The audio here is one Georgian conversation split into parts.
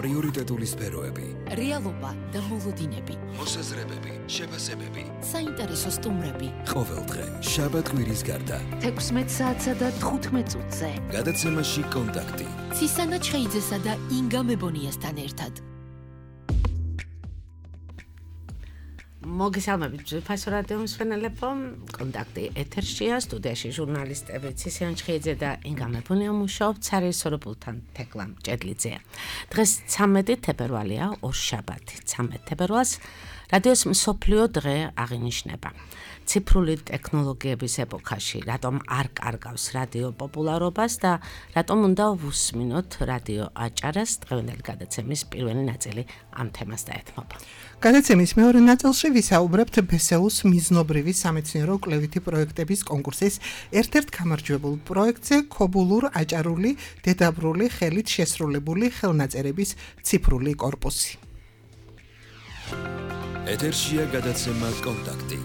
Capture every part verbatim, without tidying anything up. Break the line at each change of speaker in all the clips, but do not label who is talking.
პრიორიტეტული სფეროები,
რეალობა და მოლოდინები,
მოსაზრებები, შეფასებები,
საინტერესო სტუმრები.
ყოველდღე შაბათ-კვირის გარდა
თექვსმეტ საათსა და თხუთმეტ წუთზე
გადაცემაში კონტაქტი
ცისანა ჩხეიძესა და ინგა მებონიასთან ერთად.
მოგესალმებით ძვირფასო რადიო მსმენელებო, კონტაქტი ეთერშია, სტუდიაში ჟურნალისტები ცისანა ჩხეიძე და ინგა მებონია მუშაობთ ცარის სოროპულთან თეკლამ ჭედლიძეა. დღეს ცამეტი თებერვალია, ორშაბათი, ცამეტ თებერვალს რადიოს მსოფლიო დღე აღინიშნება. ციფრული ტექნოლოგიების ეპოქაში რატომ არ კარგავს რადიო პოპულარობას და რატომ უნდა ვუსმინოთ რადიო აჭარას, დღევანდელი გადაცემის პირველი ნაწილი ამ თემას დაეთმობა.
გადაცემის მეორე ნაწილში ვისაუბრებთ ბესეუს მიზნობრივი სამეცნიერო კვლევითი პროექტების კონკურსის ერთ-ერთ გამარჯვებულ პროექტზე ქობულურ აჭარული დედაბრული ხელით შესრულებული ხელნაწერების ციფრული კორპუსი.
ეთერშია გადაცემა კონტაქტი.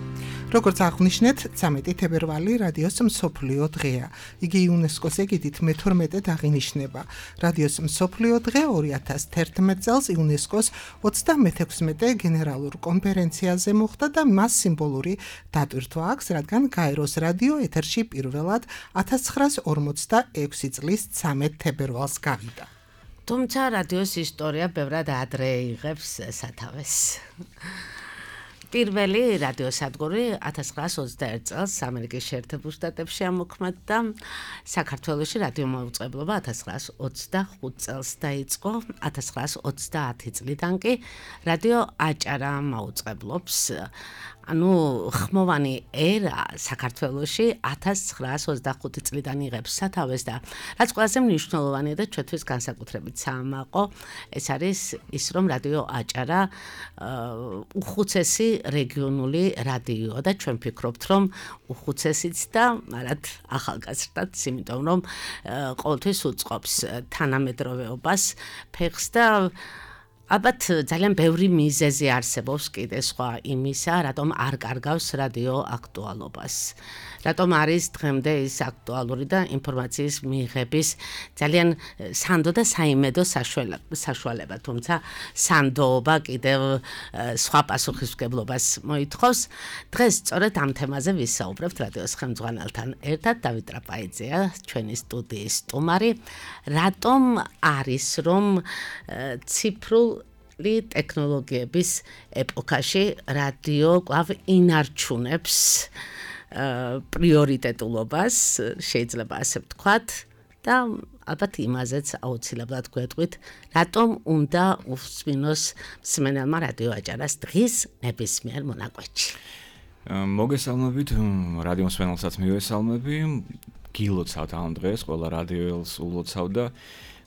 როგორც აღნიშნეთ, ცამეტი თებერვალი რადიოს მსოფლიო დღეა. იგი იუნესკოს ეგიდით მეთორმეტედ აღინიშნება. რადიოს მსოფლიო დღე ორი ათას თერთმეტ წელს იუნესკოს ოცდამეთექვსმეტე გენერალურ კონფერენციაზე მოხდა და მას სიმბოლური დატვირთვა აქვს, რადგან გაეროს რადიო ეთერში პირველად ათას ცხრაას ორმოცდაექვსი წლის ცამეტ თებერვალს გავიდა.
თუმცა რადიოს ისტორია ბევრად ადრე იღებს სათავეს. პირველი რადიოსადგური ათას ცხრაას ოცდაერთ წელს ამერიკის შეერთებულ შტატებში ამოქმედდა. საქართველოში რადიო მოუწყებლობა ათას ცხრაას ოცდახუთ წელს დაიწყო. ათას ცხრაას ოცდაათი წლიდან კი რადიო აჭარა მოუწყებლობს. ანუ ხმოვანი ერა საქართველოში ათას ცხრაას ოცდახუთი წლიდან იღებს სათავეს და რაც ყველაზე მნიშვნელოვანია და ჩვენთვის განსაკუთრებით საამაყო, ეს არის ის, რომ რადიო აჭარა უხუცესი რეგიონული რადიოა და ჩვენ ვფიქრობთ, რომ უხუცესიც და არად ახალგაზრდაც, იმიტომ რომ ყოველთვის უწყობს თანამედროვეობას ფეხს და ალბათ ძალიან ბევრი მიზეზი არსებობს კიდე სხვა იმისა, რატომ არ კარგავს რადიო აქტუალობას. რატომ არის დღემდე ის აქტუალური და ინფორმაციის მიღების ძალიან სანდო და საიმედო საშუალება, თუმცა სანდოობა კიდევ სხვა პასუხისმგებლობას მოითხოვს. დღეს სწორედ ამ თემაზე ვისაუბრებთ რადიოს ხელმძღვანელთან ერთად. დავით ტრაპაიძეა ჩვენი სტუდიის სტუმარი. რატომ არის რომ ციფრულ ტექნოლოგიების ეპოქაში რადიო კვლავ ინარჩუნებს პრიორიტეტულობას, შეიძლება ასე ვთქვათ, და ალბათ იმაზეც აუცილებლად გვეტყვით, რატომ უნდა უსმინოს მსმენელმა რადიო აჭარას დღის ნებისმიერ მონაკვეთში.
მოგესალმებით, რადიო მსმენელსაც მივესალმები, გილოცავთ ამ დღეს, ყველა რადიოელს ულოცავ და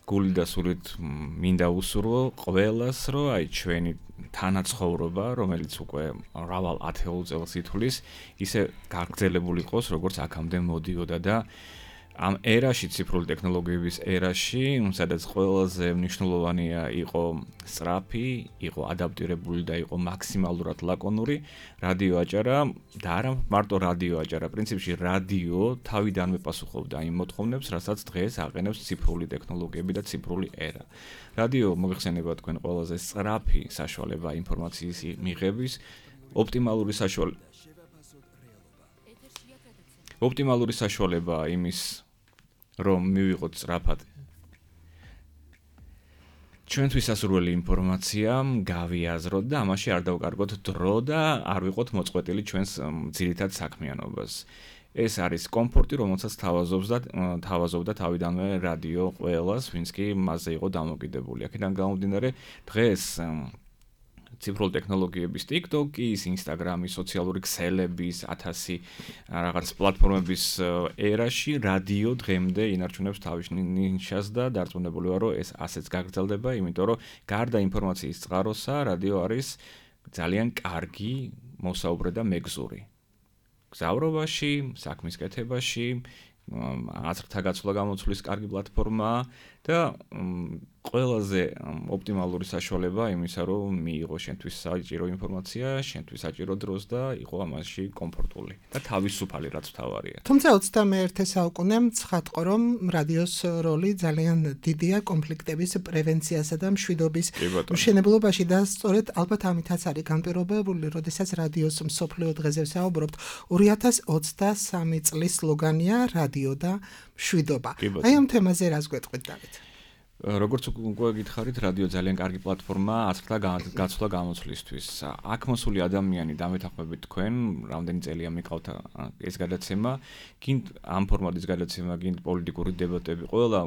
გული და სულით მინდა უსურვო ყველას, რომ აი ჩვენი თანაცხოვრობა, რომელიც უკვე მრავალ ათეულ წელს ითვლის, ისე გაგრძელებული იყოს, როგორც აქამდე მოდიოდა და ამ ერაში, ციფრული ტექნოლოგიების ერაში, სადაც ყველაზე მნიშვნელოვანია იყო სწრაფი, იყო ადაპტირებული და იყო მაქსიმალურად ლაკონური, რადიო აჭარა და არა მარტო რადიო აჭარა, პრინციპში რადიო თავიდანვე პასუხობდა იმ მოთხოვნებს, რასაც დღეს აყენებს ციფრული ტექნოლოგიები და ციფრული ერა. რადიო მოიხსენება თქვენ ყველაზე სწრაფი საშუალება ინფორმაციის მიღების, ოპტიმალური საშუალება ოპტიმალური საშუალება იმის, რომ მივიღოთ სწრაფად ჩვენთვის სასურველი ინფორმაცია, გავიაზროთ და ამაში არ დავკარგოთ დრო და არ ვიყოთ მოწყვეტილი ჩვენს ძირითად საქმიანობას. ეს არის კომფორტი, რომელსაც თავაზობს და თავაზობდა თავიდანვე რადიო ყველას, ვინც კი მასზე იყო დამოკიდებული. აქედან გამომდინარე, დღეს ციფრული ტექნოლოგიების TikTok-ის, Instagram-ის, სოციალური ქსელების, ათასი რაღაც პლატფორმების ერაში რადიო დღემდე ინარჩუნებს თავის ნიშას და დარწმუნებული ვარ, რომ ეს ასეც გაგრძელდება, იმიტომ რომ გარდა ინფორმაციის წყაროსა, რადიო არის ძალიან კარგი მოსაუბრე და მეგზური. გზავრობაში, საქმის კეთებაში, აზრთა გაცვლა-გამოცვლის კარგი პლატფორმაა და ყველაზე ოპტიმალური საშუალება იმისა, რომ მიიღო შენთვის საჭირო ინფორმაცია, შენთვის საჭირო დროს და იყო ამაში კომფორტული და თავისუფალი, რაც მთავარია.
თუმცა ოცდამეერთე საუკუნემ ცხადყო, რომ რადიოს როლი ძალიან დიდია კონფლიქტების პრევენციასა და მშვიდობის მშენებლობაში და სწორედ ალბათ ამითაც არის განპირობებული, როდესაც რადიოს მსოფლიო დღეზე ვსაუბრობთ, ორი ათას ოცდასამი წლის სლოგანია რადიო და მშვიდობა. აი ამ თემაზე რას გვეტყვით, დავით?
როგორც უკვე გითხარით, რადიო ძალიან კარგი პლატფორმაა აცხრა გაცვლა გამოცვლისთვის. აქ მოსული ადამიანი დამეთანხმებით თქვენ, რამდენი წელია მიყავთ ეს გადაცემა, გინდ ამ ფორმატის გადაცემა, გინდ პოლიტიკური დებატები, ყველა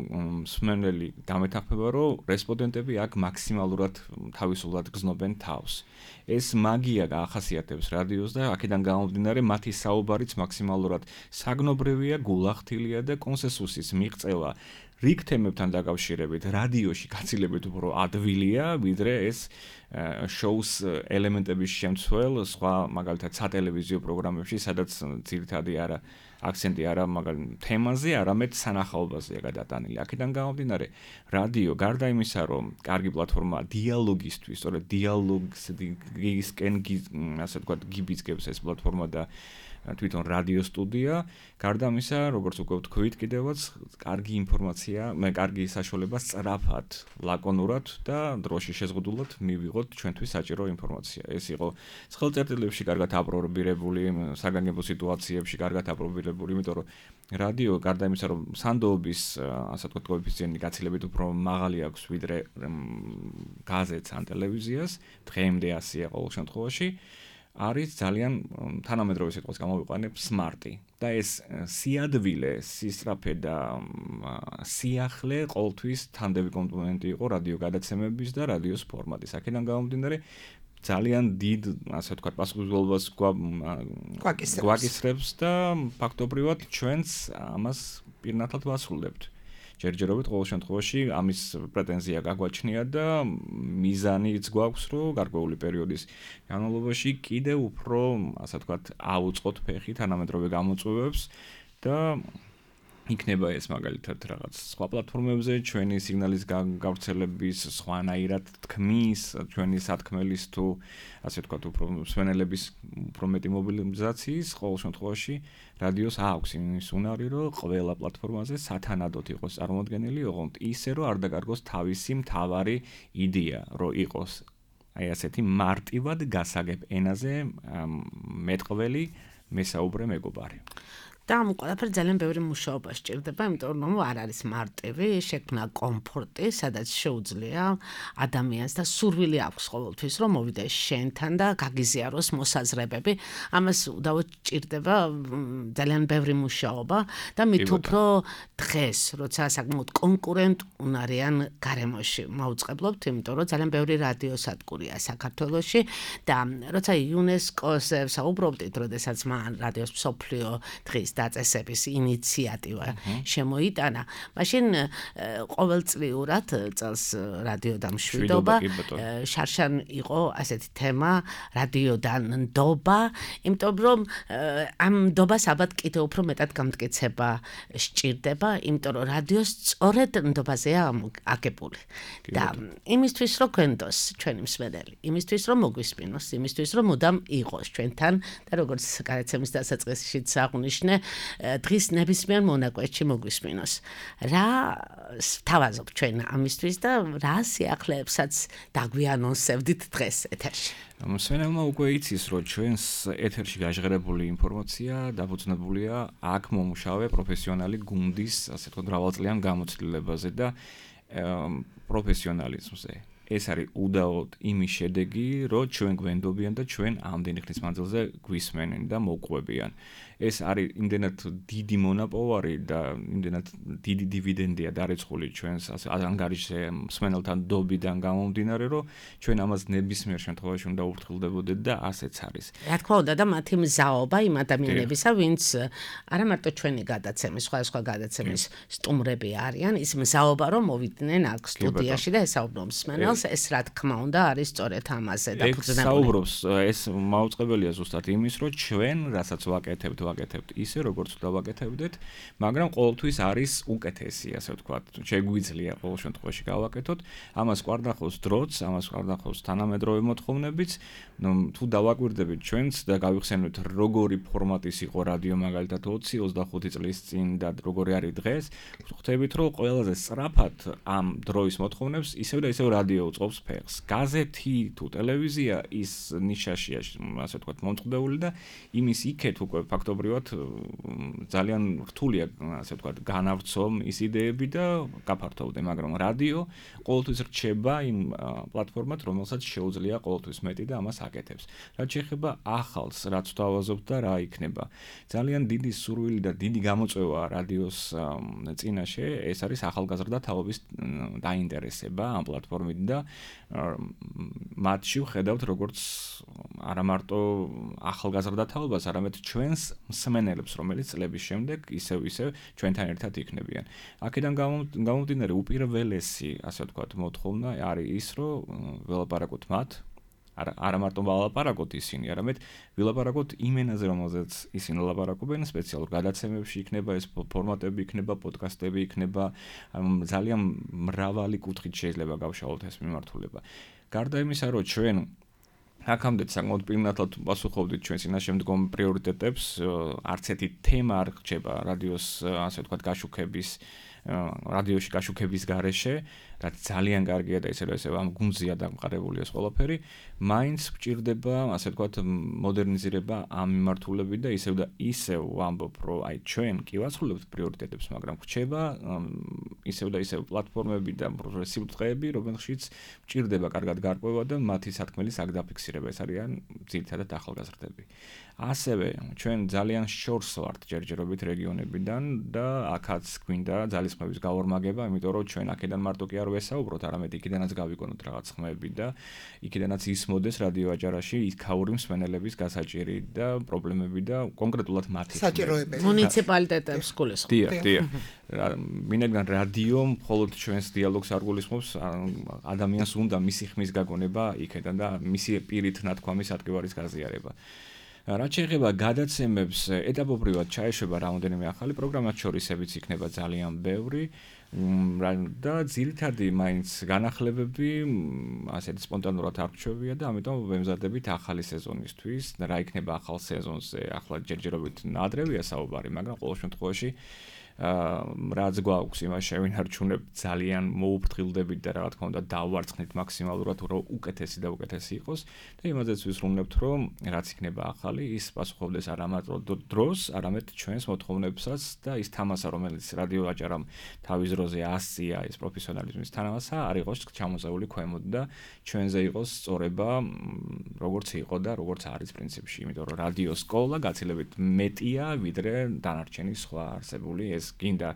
მსმენელი დამეთანხმება, რომ რესპონდენტები აქ მაქსიმალურად თავისუფლად გზნობენ თავს. ეს მაგია გაახასიათებს რადიოს და აქედან გამომდინარე მათი საუბარიც მაქსიმალურად საგნობრივია, გულახდილია და კონსენსუსის მიღწევა რიგ თემებთან დაკავშირებით რადიოში გაცილებით უფრო ადვილია, ვიდრე ეს შოუს ელემენტების შემცველ სხვა მაგალითად სატელევიზიო პროგრამებში, სადაც ძირითადი არა აქცენტი არა მაგალითად თემაზე, არამედ სანახაობაზეა გადატანილი. აქედან გამომდინარე, რადიო გარდა იმისა, რომ კარგი პლატფორმაა დიალოგისთვის, სწორედ დიალოგისკენ ასე ვთქვათ, გიბიძგებს ეს პლატფორმა და თვითონ რადიო სტუდია, გარდა ამისა, როგორც უკვე ვთქვით, კიდევაც კარგი ინფორმაცია, მე კარგი საშუალება სწრაფად, ლაკონურად და დროში შეზღუდულად მივიღოთ ჩვენთვის საჭირო ინფორმაცია. ეს იყო სახელმწიფოებში კარგად აპრობირებული, საგანგებო სიტუაციებში კარგად აპრობირებული, იმიტომ რომ რადიო გარდა იმისა, რომ სანდოობის, ასე ვთქვათ, კოეფიციენტი გაცილებით უფრო მაღალი აქვს, ვიდრე გაზეთს ან ტელევიზიას, დღემდე ასეა ყოველ შემთხვევაში. არის ძალიან თანამედროვე სიტყვას გამოვიყვანებ სმარტი და ეს სიადვილე, სისწრაფე და სიახლე ყოველთვის თანდები კომპონენტი იყო რადიო გადაცემების და რადიოს ფორმატის. აქედან გამომდინარე ძალიან დიდ, ასე ვთქვათ, პასუხისმგებლობას გვაკისრებს და ფაქტობრივად ჩვენც ამას პირნათლად ვასრულებთ. ჯერჯერობით ყოველ შემთხვევაში ამის პრეტენზია გაგვაჩნია და მიზანიც გვაქვს, რომ გარკვეული პერიოდის განმავლობაში კიდევ უფრო, ასე ვთქვათ, აუწყოთ ფეხი თანამედროვე გამოწვევებს და იქნება ეს მაგალითად რაღაც სხვა პლატფორმებზე ჩვენი სიგნალის გავრცელების სხვანაირად თქმის, ჩვენი სათქმელის თუ ასე ვთქვათ, უფრო მსმენელების უფრო მეტი მობილიზაციის ყოველ შემთხვევაში რადიოს აქვს იმის უნარი, რომ ყველა პლატფორმაზე სათანადოდ იყოს წარმოდგენილი, ოღონდ ისე, რომ არ დაკარგოს თავისი მთავარი იდეა, რომ იყოს აი ასეთი მარტივად გასაგებ ენაზე მეტყველი მესაუბრე მეგობარი.
და ამ ყველაფერ ძალიან ბევრი მუშაობა სჭირდება, იმიტომ რომ არ არის მარტივი, შექმნა კომფორტი, სადაც შეუძლია ადამიანს და სურვილი აქვს ყოველთვის, რომ მოვიდა შენთან და გაგიზიაროს მოსაზრებები. ამას უდავოდ სჭირდება ძალიან ბევრი მუშაობა და მით უფრო დღეს, როცა საკმაოდ კონკურენტუნარიან გარემოში მოვწყებლობთ, იმიტომ რომ ძალიან ბევრი რადიოსადგურია საქართველოში და როცა იუნესკოს საუბრობდით, როდესაც მან რადიოს მსოფლიო დღის დაწესების ინიციატივა შემოიტანა, მაშინ ყოველწლიურად წელს რადიო და მშვიდობა შარშან იყო ასეთი თემა რადიოდან ნდობა, იმიტომ რომ ამ ნდობას ალბათ კიდევ უფრო მეტად გამტკიცება სჭირდება, იმიტომ რომ რადიოს სწორედ ნდობაზეა აგებული. და იმისთვის რომ გვენდოს ჩვენი მსმენელი, იმისთვის რომ მოგვისმინოს, იმისთვის რომ მუდამ იყოს ჩვენთან და როგორც გადაცემის დასაწყისშიც აღვნიშნე, დღის ნებისმიერ მონაკვეთში მოგვისმინოს. რა თავაზობ ჩვენ ამისთვის და რა სიახლეებსაც დაგვიანონსებდით დღეს ეთერში?
მსმენელმა უკვე იცის, რომ ჩვენს ეთერში გაჟღერებული ინფორმაცია დაფუძნებულია აქ მომუშავე პროფესიონალი გუნდის, ასე ვთქვათ, მრავალწლიან გამოცდილებაზე და პროფესიონალიზმზე. ეს არის უდაოდ იმის შედეგი, რომ ჩვენ გვენდობიან და ჩვენ ამდენი ხნის მანძილზე გვისმენენ და მოგყვებიან. ეს არის იმდენად დიდი მონაპოვარი და იმდენად დიდი დივიდენდია დარიცხული ჩვენს ასე ანგარიშზე მსმენელთან დობიდან გამომდინარე, რომ ჩვენ ამას ნებისმიერ შემთხვევაში უნდა ურთულდებოდეთ და ასეც არის.
რა თქმა უნდა და მათი მზაობა იმ ადამიანებისა, ვინც არა მარტო ჩვენი გადაცემის, სხვადასხვა გადაცემის სტუმრები არიან, ის მზაობა რომ მოვიდნენ აქ სტუდიაში და ესაუბრონ მსმენელს, ეს რა თქმა უნდა არის სწორედ ამაზე დაფუძნებული.
ეს საუბრობს, ეს მაუწყებელია ზუსტად იმის, რომ ჩვენ რასაც ვაკეთებთ ვაკეთებთ ისე, როგორც უნდა ვაკეთებდეთ, მაგრამ ყოველთვის არის უკეთესი, ასე ვთქვათ. შეგვიძლია ყოველ შემთხვევაში გავაკეთოთ. ამას გვარდახავს დროც, ამას გვარდახავს თანამედროვე მოთხოვნებიც. ნუ თუ დავაკვირდებით ჩვენც და გავიხსენოთ, როგორი ფორმატის იყო რადიო მაგალითად ოცი ოცდახუთი წლის წინ და როგორი არის დღეს, ხვდებით, რომ ყველაზე სწრაფად ამ დროის მოთხოვნებს ისევ და ისევ რადიო უწყობს ფეხს. გაზეთი თუ ტელევიზია ის ნიშაშია, ასე ვთქვათ, მომწყდეული და იმის იქეთ უკვე ფაქტობრივად ძალიან რთულია, ასე ვთქვათ, განავრცო ის იდეები და გაფართოვდე, მაგრამ რადიო ყოველთვის რჩება იმ პლატფორმად, რომელსაც შეუძლია ყოველთვის მეტი და ამას აკეთებს. რაც შეეხება ახალს, რაც თავაზობთ და რა იქნება. ძალიან დიდი სურვილი და დიდი გამოწვევა რადიოს წინაშე, ეს არის ახალგაზრდა თაობის დაინტერესება ამ პლატფორმით და მათში ვხედავთ როგორც არა მარტო ახალგაზრდა თაობას, არამედ ჩვენს მსმენელებს, რომელიც წლების შემდეგ ისევ ისევ ჩვენთან ერთად იქნებიან. აქედან გამომდინარე უპირველესი, ასე ვთქვათ, მოთხოვნა არის ის, რომ ველაპარაკოთ მათ, არა არა მარტო ველაპარაკოთ ისინი, არამედ ველაპარაკოთ იმ ენაზე, რომელზეც ისინი ლაპარაკობენ, სპეციალურ გადაცემებში იქნება ეს ფორმატები, იქნება პოდკასტები, იქნება ძალიან მრავალი კუთხით შეიძლება გავშალოთ ეს მიმართულება. გარდა იმისა, რომ ჩვენ აქამდე საკმაოდ პირნათლად პასუხობდით ჩვენ წინაშემდგომ პრიორიტეტებს, არც ერთი თემა არ რჩება რადიოს, ასე ვთქვათ, გაშუქების რადიოში გაშუქების გარეშე, რაც ძალიან კარგია და ისე ისე ამ გუნზია დამყარებული ეს ყველაფერი, მაინც გვჭირდება, ასე ვთქვათ, მოდერნიზირება ამ მიმართულებით და ისევ და ისევ ვამბობ, რომ აი ჩვენ კი ვაცხოვებთ პრიორიტეტებს, მაგრამ გვჭება ისევ და ისევ პლატფორმები და პროგრესიული დღეები, რომელშიც გვჭირდება კარგად გარკვევა და მათი სათქმელი საგდაფიქსირება, ეს არიან ძირითადად ახალგაზრდები. ასევე ჩვენ ძალიან შორს ვართ ჯერჯერობით რეგიონებიდან და აქაც გვინდა ძალისხმევის გავორმაგება, იმიტომ რომ ჩვენ აქედან მარტო კი არ ვესაუბროთ, არამედ იქიდანაც გავიგონოთ რაღაც ხმები და იქიდანაც ისმოდეს რადიო აჭარაში იქაური მსმენელების გასაჭირი და პრობლემები და კონკრეტულად მათი
საჭიროებები.
მუნიციპალიტეტებს გულისხმობ.
დიახ, დიახ. მინაგან რადიო მხოლოდ ჩვენს დიალოგს არ გულისხმობს, ადამიანს უნდა მისი ხმის გაგონება იქედან და მისი პირით ნათქვამის ადგილარის გაზიარება. რაც შეეხება გადაცემებს, ეტაპობრივად ჩაეშვება რამოდენიმე ახალი პროგრამა, შორისებიც იქნება ძალიან ბევრი და ძირითადი მაინც განახლებები ასეთი სპონტანურად არ რჩევია და ამიტომ ვემზადებით ახალი სეზონისთვის. რა იქნება ახალ სეზონზე, ახლა ჯერჯერობით ნადრევია საუბარი, მაგრამ ყოველ შემთხვევაში რაც გვაქვს იმას შევინარჩუნებთ, ძალიან მოუფრთხილდებით და რა თქმა უნდა დავარცხნით მაქსიმალურად, რომ უკეთესი და უკეთესი იყოს და იმაზეც ვისრულებთ, რომ რაც იქნება ახალი, ის პასუხობდეს არა მარტო დროს, არამედ ჩვენს მოთხოვნებსაც და ის თამასა, რომელიც რადიო აჭარამ თავის დროზე ასწია ეს პროფესიონალიზმის თანამასა, არ იყოს ჩამოწეული ქვემოთ და ჩვენზე იყოს სწორება, როგორც იყო და როგორც არის პრინციპში, იმიტომ რომ რადიო სკოლა გაცილებით მეტია, ვიდრე დანარჩენი სხვა არსებული ეს გინდა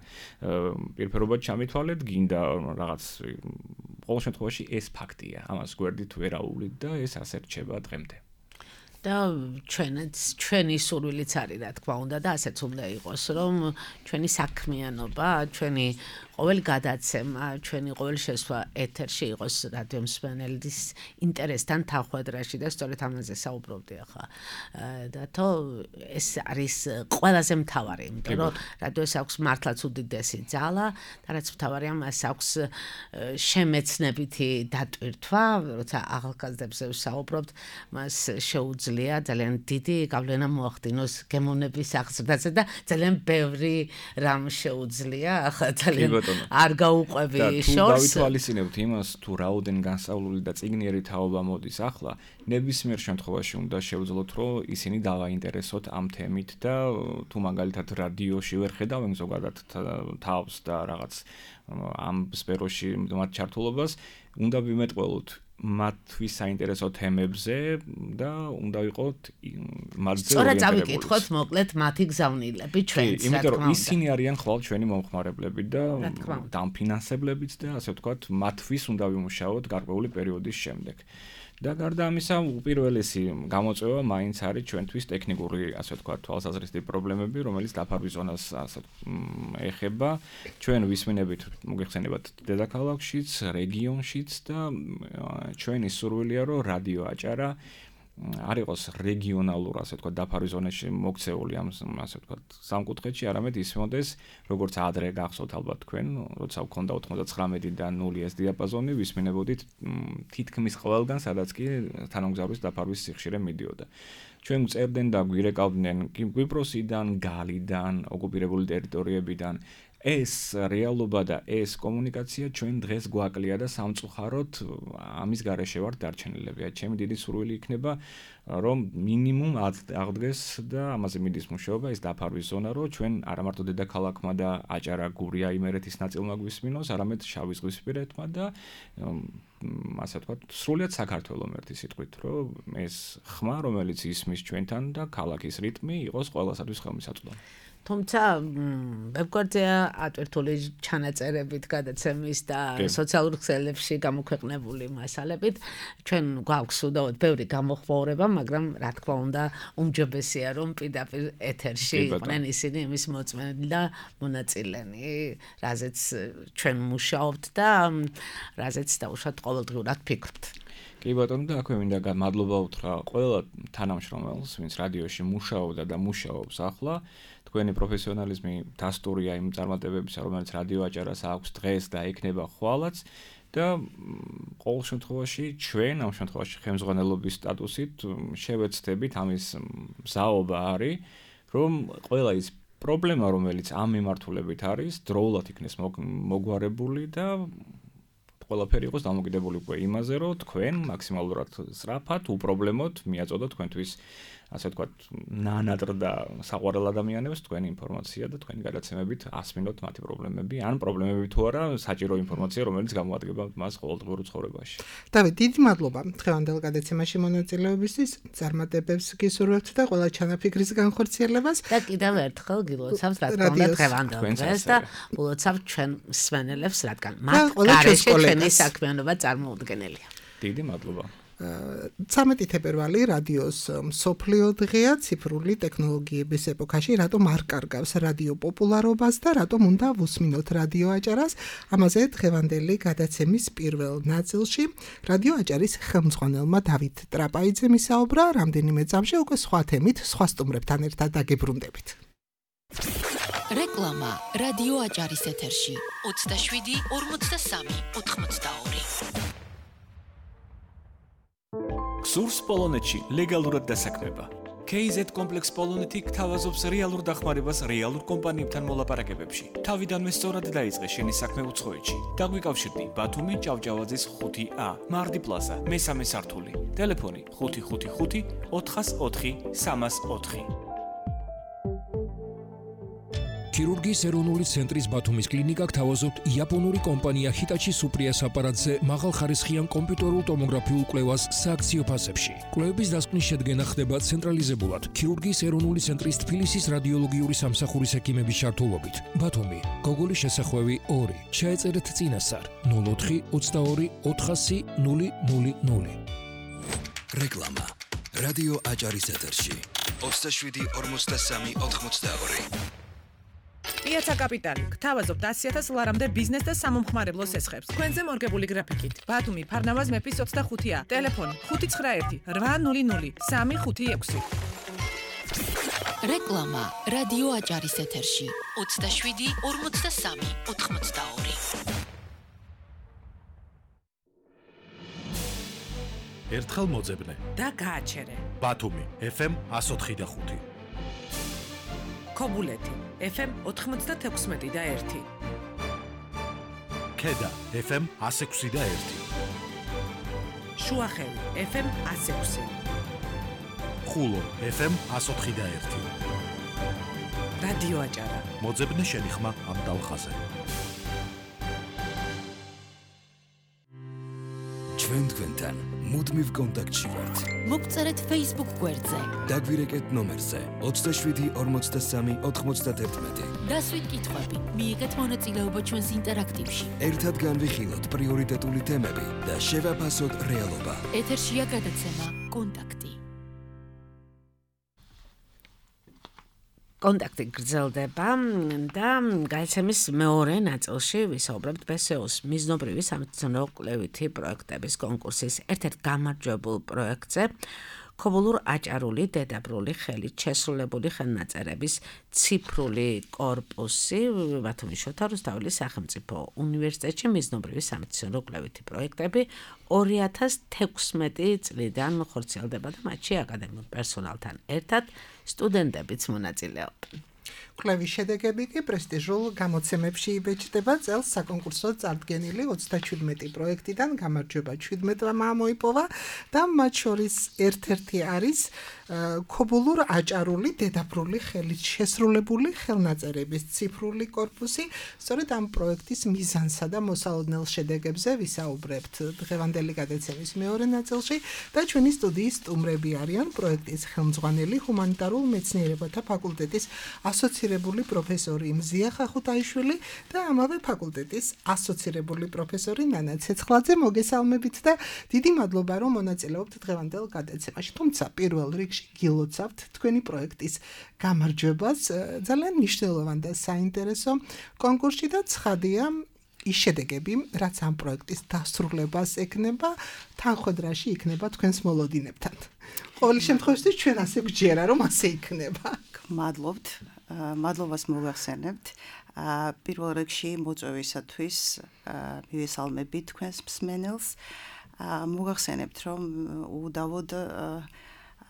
პირფერობად ჩამითვალეთ, გინდა რაღაც ყოველ შემთხვევაში ეს ფაქტია. ამას გვერდით ვერაულით და ეს ასე რჩება დღემდე.
და ჩვენც ჩვენი სურვილიც არის, რა თქმა უნდა, და ასეც უნდა იყოს, რომ ჩვენი საქმიანობა, ჩვენი ყოველი გადაცემა, ჩვენი ყოველი შესვლა ეთერში იყოს რადიო მსმენელის ინტერესთან თანხვედრაში და სწორედ ამაზე საუბრობდი ახლა. და თო ეს არის ყველაზე მთავარი, იმიტომ რომ რადიოს აქვს მართლაც უდიდესი ძალა და რაც მთავარია, მას აქვს შემეცნებითი დატვირთვა, როცა ახალგაზრდებზე ვსაუბრობთ, მას შეუძლია ძალიან დიდი გავლენა მოახდინოს გემოვნების აღზრდაზე და ძალიან ბევრი რამ შეუძლია, ახლა ძალიან არ გაუყვები შორს.
თუ გავითვალისწინებთ იმას, თუ რაოდენ განსავლული და წიგნიერი თაობა მოდის ახლა, ნებისმიერ შემთხვევაში უნდა შევძლოთ, რომ ისინი დავაინტერესოთ ამ თემით და თუ მაგალითად რადიოში ვერ ხედავენ ზოგადად თავს და რაღაც ამ სფეროში მათ ჩართულობას, უნდა ვიმეტყველოთ მათთვის საინტერესო თემებზე და უნდა ვიყოთ მათზე ორიენტირებული.
სწორად წავიკითხოთ მოკლედ მათი გზავნილები ჩვენც, რა თქმა უნდა.
იმიტომ რომ ისინი არიან ხვალ ჩვენი მომხმარებლები და დამფინანსებლებიც და ასე ვთქვათ, მათთვის უნდა ვიმუშაოთ გარკვეული პერიოდის შემდეგ. და გარდა ამისა, უპირველესი გამოწვევა მაინც არის ჩვენთვის ტექნიკური, ასე ვთქვათ, თვალსაზრისით პრობლემები, რომელიც დაფარვის ზონას ასე ეხება. ჩვენ ვისმინებით, მოგეხსენებათ, დედაქალაქშიც, რეგიონშიც და ჩვენი სურვილია, რომ რადიო აჭარა არ იყოს რეგიონალურ, ასე ვთქვათ, დაფარვის ზონაში მოქცეული ამ ასე ვთქვათ, სამკუთხედში, არამედ ისმოდეს, როგორც ადრე გახსოვთ ალბათ თქვენ, როცა გქონდა ოცდათხმეტიდან ნული ეს დიაპაზონი, ვისმინებოდით თითქმის ყველგან, სადაც კი თანამგზავრის დაფარვის სიხშირე მიდიოდა. ჩვენ წერდნენ და გვირეკავდნენ კვიპროსიდან, გალიდან, ოკუპირებული ტერიტორიებიდან. ეს რეალობა და ეს კომუნიკაცია ჩვენ დღეს გვაკლია და სამწუხაროდ ამის გარეშე ვართ დარჩენილები. ჩემი დიდი სურვილი იქნება, რომ მინიმუმ აღდგეს და ამაზე მიდის მუშაობა ეს დაფარვის ზონა, რომ ჩვენ არა მარტო დედაქალაქმა და აჭარა, გურია, იმერეთის ნაწილმა გვისმინოს, არამედ შავი ზღვისპირეთმა და ასე ვთქვათ, სრულიად საქართველოს ერთი სიტყვით, რომ ეს ხმა, რომელიც ისმის ჩვენთან და ქალაქის რიტმი იყოს ყველასათვის ხელმისაწვდომი.
თუმცა ვებგვერდზეა ატვირთული ჩანაწერებით გადაცემის და სოციალურ ქსელებში გამოქვეყნებული მასალებით ჩვენ გვაქვს უდავოდ ბევრი გამოხმაურება, მაგრამ რა თქმა უნდა უმჯობესია რომ პირდაპირ ეთერში იყვნენ ისინი იმის მოწმენდი და მონაწილენი, რაზეც ჩვენ მუშაობთ და რაზეც დაუშვათ ყოველდღიურად ფიქრობთ.
კი ბატონო, და აქვე მინდა მადლობა უთხრა ყველა თანამშრომელს, ვინც რადიოში მუშაობდა და მუშაობს ახლა. თქვენი პროფესიონალიზმი დასტურია იმ წარმატებებისა, რომელიც რადიო აჭარას აქვს დღეს და ექნება ხვალაც და ყოველ შემთხვევაში ჩვენ ამ შემთხვევაში ხელმძღვანელობის სტატუსით შევეცდებით ამის მზაობა არის, რომ ყველა ის პრობლემა, რომელიც ამ მიმართულებით არის, დროულად იქნეს მოგვარებული და ყველაფერი იყოს დამოკიდებული უკვე იმაზე, რომ თქვენ მაქსიმალურად სწრაფად, უპრობლემოდ მიაწოდოთ თქვენთვის ასე ვთქვათ, ნანატრ და საყვარელ ადამიანებს თქვენი ინფორმაცია და თქვენი გადაცემებით ასმინოთ მათი პრობლემები, ან პრობლემები თუ არა, საჭირო ინფორმაცია, რომელიც გამოადგება მას ყოველდღიურ ცხოვრებაში.
დავით, დიდი მადლობა დღევანდელ გადაცემაში მონაწილეობისთვის, წარმატებებს გისურვებთ და ყველა ჩანაფიქრის განხორციელებას.
და კიდევ ერთხელ გილოცავთ რა თქმა უნდა დღევანდელ დღეს და გულოცავთ ჩვენ მსმენელებს, რადგან მათ გარეშე ჩვენი საქმიანობა წარმოუდგენელია.
დიდი მადლობა.
ცამეტი თებერვალი რადიოს მსოფლიო დღეა ციფრული ტექნოლოგიების ეპოქაში, რატომ არ კარგავს რადიო პოპულარობას და რატომ უნდა ვუსმინოთ რადიო აჭარას. ამაზე დღევანდელი გადაცემის პირველ ნაწილში რადიო აჭარის ხელმძღვანელმა დავით ტრაპაიძემ ისაუბრა, რამდენიმე წამში უკვე სხვა თემით, სხვა სტუმრებთან ერთად დაგებრუნდებით.
რეკლამა რადიო აჭარის ეთერში ოცდაშვიდი ორმოცდასამი ოთხმოცდაორი.
გსურს პოლონეთში ლეგალურად დასაქმება. კეი ზედ კომპლექს პოლონეთი გთავაზობს რეალურ დახმარებას რეალურ კომპანიებთან მოლაპარაკებებში. თავიდანვე სწორად დაიწყე შენი საქმე უცხოეთში. დაგვიკავშირდი ბათუმი ჭავჭავაძის ხუთი ა, მარდი პლაზა, მესამე სართული. ტელეფონი ხუთი ხუთი ხუთი ოთხას ოთხი სამას ოთხი.
ქირურგიის ეროვნული ცენტრის ბათუმის კლინიკა გთავაზობთ იაპონური კომპანია ჰიტაჩი სუპრიას აპარატზე მაღალხარისხიან კომპიუტერულ ტომოგრაფიულ კვლევას სააქციო ფასებში. კვლევების დასკვნის შედგენა ხდება ცენტრალიზებულად ქირურგიის ეროვნული ცენტრის თბილისის რადიოლოგიური სამსახურის ექიმების ჩართულობით. ბათუმი, გოგოლის შესახვევი ორი. ჩაეწერეთ წინასწარ ნულ ოთხი ოცდაორი ოთხასი ნული ნული ნული.
რეკლამა რადიო აჭარის ეთერში ოცდაშვიდი ორმოცდასამი ოთხმოცდაორი.
პიაცა კაპიტალი გთავაზობთ ასი ათას ლარამდე ბიზნეს და სამომხმარებლო სესხებს. თქვენზე მორგებული გრაფიკით. ბათუმი, ფარნავაზ მეფის ოცდახუთი ა. ტელეფონი ხუთი ცხრა ერთი რვა ნული ნული სამი ხუთი ექვსი.
რეკლამა რადიო აჭარის ეთერში ოცდაშვიდი ორმოცდასამი ოთხმოცდაორი.
ერთხელ მოძებნე
და გააჩერე.
ბათუმი ეფ ემ εκατო ოთხი და ხუთი.
ქობულეთი ეფ ემ ოთხმოცდათექვსმეტი და ერთი.
ქედა ეფ ემ εκατო ექვსი და ერთი.
შუახევი ეფ ემ εκατო ექვსი.
ხულო ეფ ემ εκατო ოთხი და ერთი.
რადიო აჭარა.
მოძებნე შენი ხმა ამ დალხაზე.
ჩვენ თქვენთან მუდმივ კონტაქტში ვართ.
მოგწერეთ Facebook გვერდზე.
დაგვირეკეთ ნომერზე ოცდაშვიდი ორმოცდასამი ოთხმოცდათერთმეტი.
დასვით კითხვები, მიიღეთ მონაწილეობა ჩვენს ინტერაქტივში.
ერთად განვიხილოთ პრიორიტეტული თემები და შევაფასოთ რეალობა.
ეთერშია გადაცემა კონტაქტი.
კონტაქტი გრძელდება და გადაცემის მეორე ნაწილში ვისაუბრებთ ბე ეს ე-ს მიზნობრივი სამეცნიერო კვლევითი პროექტების კონკურსის ერთ-ერთ გამარჯვებულ პროექტზე. ქობულურ აჭარული დედაბრული ხელით შესრულებული ხელნაწერების ციფრული კორპუსი ბათუმის შოთა რუსთაველის სახელმწიფო უნივერსიტეტში მიზნობრივი სამეცნიერო კვლევითი პროექტები ორი ათას თექვსმეტი წლიდან ხორციელდება და მათში აკადემიურ პერსონალთან ერთად სტუდენტებიც მონაწილეობენ.
კვლევის შედეგები კი პრესტიჟულ გამოცემებში იბეჭდება. წელს საკონკურსო წარდგენილი ოცდაჩვიდმეტი პროექტიდან გამარჯვება შვიდმეტმა მოიპოვა და მათ შორის ერთ-ერთი არის ქობულურ აჭარული დედაბრული ხელით შესრულებული ხელნაწერების ციფრული კორპუსი. სწორედ ამ პროექტის მიზანსა და მოსალოდნელ შედეგებზე ვისაუბრებთ დღევანდელი გადაცემის მეორე ნაწილში და ჩვენი სტუდიის სტუმრები არიან პროექტის ხელმძღვანელი ჰუმანიტარულ მეცნიერებათა ფაკულტეტის ასოცირებული პროფესორი მზია ხახუთაიშვილი და ამავე ფაკულტეტის ასოცირებული პროფესორი ნანა ცეცხლაძე. მოგესალმებით და დიდი მადლობა რომ მონაწილეობთ დღევანდელ გადაცემაში. თუმცა პირველ რიგში გილოცავთ თქვენი პროექტის გამარჯვებას. ძალიან მნიშვნელოვანი და საინტერესო კონკურსი და ცხადია ის შედეგები, რაც ამ პროექტის დასრულებას ექნება, თანხმედრაში იქნება თქვენს მოლოდინებთან. ყოველ შემთხვევაში ჩვენ ასე გვჯერა რომ ასე იქნება.
მადლობთ. მადლობას მოგახსენებთ. პირველ რიგში მოწვევისათვის მივესალმებით თქვენს მსმენელს. მოგახსენებთ რომ უდავოდ